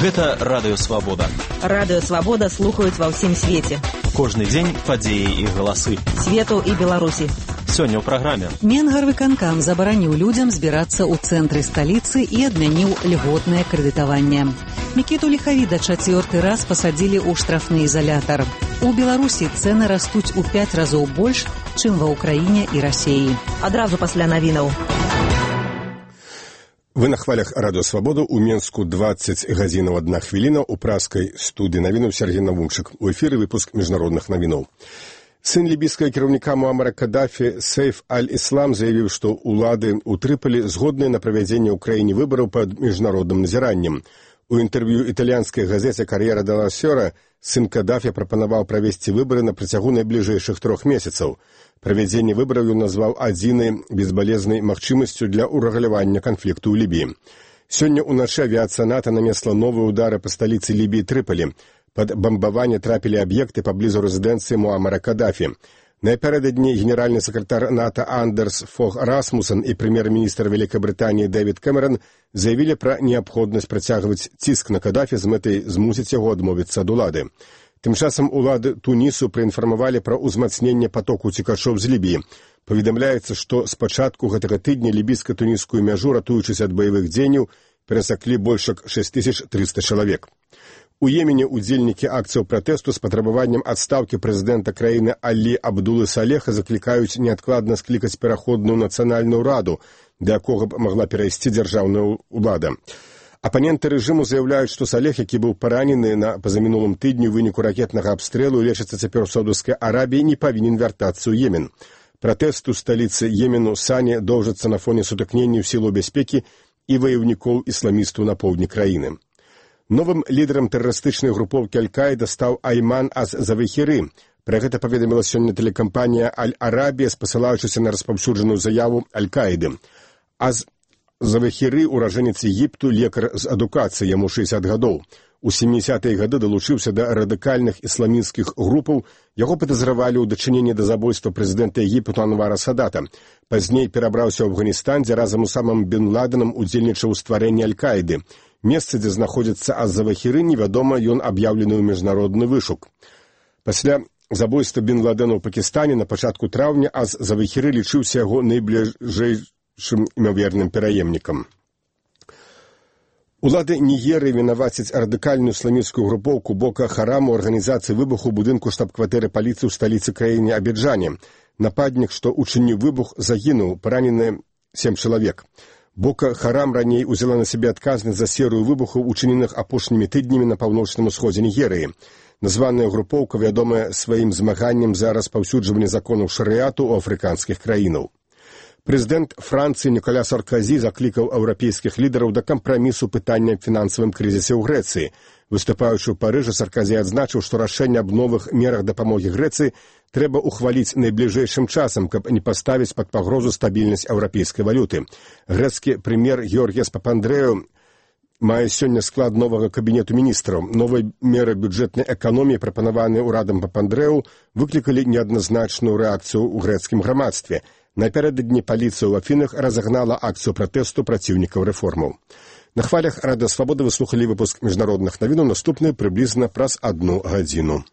Гэта Радыё Свабода. Радыё Свабода слухаюць ва ўсім свеце. Кожны дзень падзеі і галасы. Свету і Беларусі. Сёння ў праграме. Менгарвыканкам забараніў людзям збірацца ў цэнтры сталіцы і адмяніў льготнае крэдытаванне. Мікіту Ліхавіда чацвёрты раз пасадзілі ў штрафны ізалятар. У Беларусі цэны растуць у 5 разоў больш, чым ва ўкраіне і Расіі. Адразу пасля навінаў. Вы на хвалях Радыё Свабода. У Менску 20 гадзінаў 1 хвіліна. У праскай студыі навінаў Сергей Навунчык. У эфіры выпуск міжнародных навінаў. Сын лібійскага кіраўніка Муамара Каддафі Сейф Аль-Іслам заявіў, што ўлады ў Трыполі згодныя на правядзенне ў краіне выбараў пад міжнародным назіраннем. У інтэрв'ю італьянскай газеце «Кар'ера дella Сера» сын Каддафі прапанаваў правесці выбары на працягу найбліжэйшых 3 месяцаў. Правядзенне выбараў ён назваў адзінай безбалезнай магчымасцю для ўрэгулявання канфлікту ў Лібіі. Сёння ўначы авіяцыя НАТО нанесла новыя ўдары па сталіцы Лібіі Трыполі. Пад бамбаванне трапілі аб'екты паблізу рэзідэнцыі Муамара Каддафі. Напярэдадні генеральны сакратар НАТО Андерс Фог Расмуссен і прэм'ер-міністр Вялікай Брытаніі Дэвід Кэмерон заявілі пра неабходнасць працягваць ціск на Каддафі з мэтай змусіць яго адмовіцца ад улады. Тым часам улады Тунісу праінфармавалі пра ўзмацненне патоку цікачоў з Лібіі. Паведамляецца, што з пачатку гэтага тыдня лібійска-тунісскую мяжу, ратуючыся ад баявых дзеянняў, перасаклі больш як 6300 чалавек. У Йемене удзельнікі акцыяў пратэсту з патрабаваннем адстаўкі прэзідэнта краіны Алі Абдулы Салеха заклікаюць неадкладна склікаць пераходную нацыянальную раду, да якога б магла перайсці дзяржаўная ўлада. Апаненты рэжыму заяўляюць, што Салех, які быў паранены на пазамінулым тыдні ў выніку ракетнага абстрэлу і лечыцца цяпер у Саўдаўскай Арабіі, не павінен вяртацца ў Йемен. Пратэст у сталіцы Йемену Сані доўжыцца на фоне сутыкненняў сілаў бяспекі і ваяўнікоў ісламістаў на поўдні краіны. Новым лідарам тэрарыстычнай групоўкі Аль-Каіда стаў Айман аз-Завахіры. Пра гэта паведаміла сёння тэлекампанія Аль-Арабія, спасылаючыся на распаўсюджаную заяву Аль-Каіды. Завахіры, уражэнец Егіпту, лекар з адукацыі, яму 60 гадоў. У 70-е гады далучыўся да радыкальных ісламісцкіх групаў. Яго падазравалі ў дачыненні да забойства прэзідэнта Егіпту Анвара Садата. Пазней перабраўся ў Афганістан, дзе разам з Усамам бен Ладенам удзельнічаў у стварэнні Аль-Каіды. Месца, дзе знаходзіцца аз-Завахіры, невядома, ён аб'яўлены ў міжнародны вышук. Пасля забойства бен Ладена ў Пакістане на пачатку траўня аз-Завахіры лічыўся яго найбліжэйшым імаверным пераемнікам. Улады Нігерыі вінавацяць радыкальную ісламісцкую групоўку Бока Харам у арганізацыі выбуху ў будынку штаб-кватэры паліцыі ў сталіцы краіны Абіджане. Нападнік, што учыніў выбух, загінуў, паранены 7 чалавек. Бока Харам раней узяла на сябе адказнасць за серыю выбухаў, учыненых апошнімі тыднямі на паўночным усходзе Нігерыі. Названая групоўка вядомая сваім змаганнем за распаўсюджванне законаў шарыяту ў афрыканскіх краінаў. Прэзідэнт Францыі Ніколя Саркозі заклікаў еўрапейскіх лідараў да кампрамісу пытання аб фінансавым крызісе ў Грэцыі. Выступаючы ў Парыжы, Саркозі адзначыў, што рашэнне аб новых мерах дапамогі Грэцыі трэба ухваліць найбліжэйшым часам, каб не паставіць пад пагрозу стабільнасць еўрапейскай валюты. Грэцкі прэм'ер Георгіас Папандрэу мае сёння склад новага кабінету міністраў. Новыя меры бюджэтнай эканоміі, прапанаваныя ўрадам Папандрэу, выклікалі неадназначную рэакцыю ў грэцкім грамадстве. Напярэдадні паліцыя ў Афінах разагнала акцыю пратэсту праціўнікаў рэформаў. На хвалях Радыё Свабода вы слухалі выпуск міжнародных навінаў, наступны прыблізна праз 1 гадзіну.